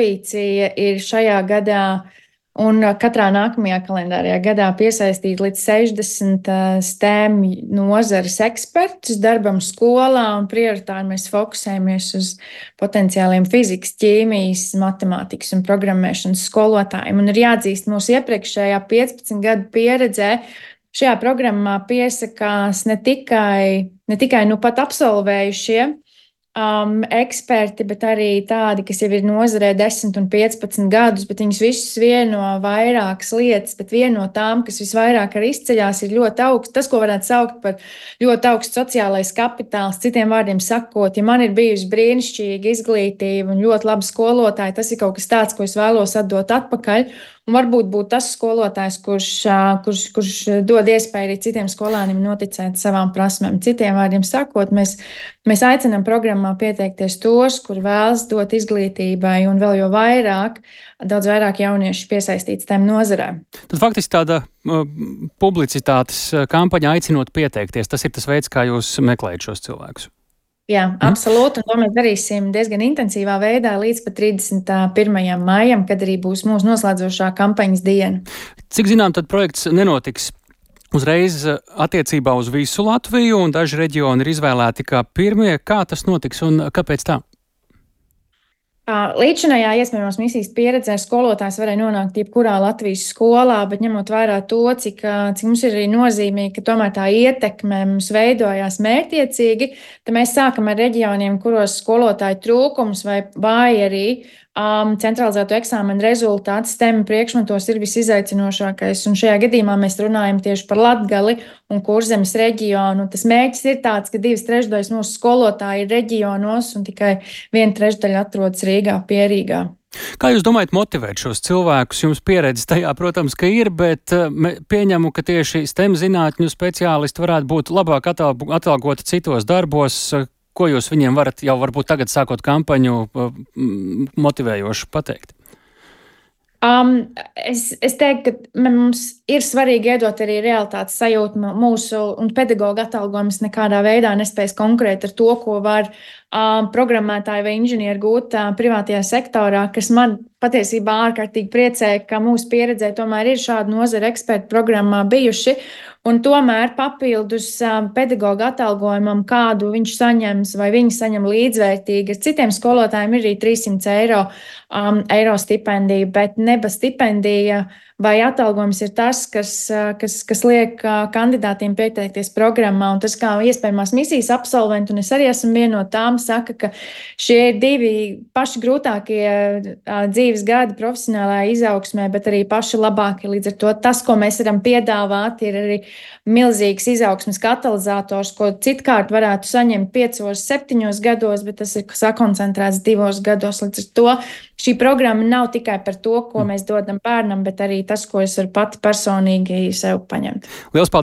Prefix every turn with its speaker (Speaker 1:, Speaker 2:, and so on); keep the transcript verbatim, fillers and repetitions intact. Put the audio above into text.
Speaker 1: ambīcija ir šajā gadā un katrā nākamajā kalendārajā gadā piesaistīt līdz sešdesmit STEM nozares ekspertus darbam skolā, un prioritāri mēs fokusējamies uz potenciāliem fizikas, ķīmijas, matemātikas un programmēšanas skolotājiem. Un ir jāatzīst, mūsu iepriekšējā piecpadsmit gadu pieredzē šajā programmā piesakās ne tikai, ne tikai nu pat absolvējušie Um, eksperti, bet arī tādi, kas jau ir nozarē desmit un piecpadsmit gadus, bet viņus visus vieno vairākas lietas, bet viena no tām, kas visvairāk arī izceļās, ir ļoti augsts, tas, ko varētu saukt par ļoti augsts sociālais kapitāls. Citiem vārdiem sakot, ja man ir bijusi brīnišķīga izglītība un ļoti laba skolotāja, tas ir kaut kas tāds, ko es vēlos atdot atpakaļ. Un varbūt būt tas skolotājs, kurš, kurš, kurš dod iespēju arī citiem skolāniem noticēt savām prasmēm. Citiem vārdiem sakot, mēs, mēs aicinām programmā pieteikties tos, kur vēlas dot izglītībai un vēl jo vairāk, daudz vairāk jauniešu piesaistīts tām nozarēm.
Speaker 2: Tad faktiski tāda uh, publicitātes kampaņa aicinot pieteikties. Tas ir tas veids, kā jūs meklējat šos cilvēkus.
Speaker 1: Jā, absolūti, un to mēs darīsim diezgan intensīvā veidā līdz pat trīsdesmit pirmajam maijam, kad arī būs mūsu noslēdzošā kampaņas diena.
Speaker 2: Cik zinām, tad projekts nenotiks uzreiz attiecībā uz visu Latviju, un daži reģioni ir izvēlēti kā pirmie. Kā tas notiks un kāpēc tā?
Speaker 1: Līdzinājā iespējamās misijas pieredzē skolotājs varēja nonākt jebkurā Latvijas skolā, bet ņemot vērā to, cik, cik mums ir arī nozīmīgi, ka tomēr tā ietekme mums veidojās mērķiecīgi, tad mēs sākam ar reģioniem, kuros skolotāju trūkums vai vai arī um, centralizēto eksāmenu rezultātu STEM priekšmetos ir visizaicinošākais. Un šajā gadījumā mēs runājam tieši par Latgali un Kurzemes reģionu. Tas mērķis ir tāds, ka divas trešdaļas mūsu skolotāji ir reģionos un tikai viena trešdaļa atrodas Rīgā, pie Rīgā.
Speaker 2: Kā jūs domājat motivēt šos cilvēkus? Jums pieredze tajā, protams, ka ir, bet pieņemu, ka tieši STEM zinātņu speciālisti varētu būt labāk atalgoti citos darbos. Ko jūs viņiem varat jau varbūt tagad sākot kampaņu motivējoši pateikt?
Speaker 1: Um, es, es teiktu, ka mums ir svarīgi iedot arī realitātes sajūtu. Mūsu un pedagoģa atalgojums nekādā veidā nespējas konkurēt ar to, ko var um, programmētāji vai inženieri gūt uh, privātajā sektorā, kas man patiesībā ārkārtīgi priecē, ka mūsu pieredzē tomēr ir šādi nozara eksperti programmā bijuši. Un tomēr papildus um, pedagoģa atalgojumam, kādu viņš saņems vai viņi saņem līdzvērtīgi, ar citiem skolotājiem ir arī trīssimts eiro, um, eiro stipendija, bet neba stipendija vai atalgojums ir tas, kas, kas, kas liek kandidātiem pieteikties programmā. Un tas, kā iespējamās misijas absolventi, un es arī esmu viena no tām, saka, ka šie ir divi paši grūtākie dzīves gadi profesionālajā izaugsmē, bet arī paši labākie. Līdz ar to tas, ko mēs varam piedāvāt, ir arī milzīgs izaugsmes katalizators, ko citkārt varētu saņemt piecos, septiņos gados, bet tas ir sakoncentrēts divos gados. Līdz ar to šī programma nav tikai par to, ko mēs dodam bērnam, bet arī tas, ko es varu pati personīgi sev paņemt.
Speaker 2: Liels paldies!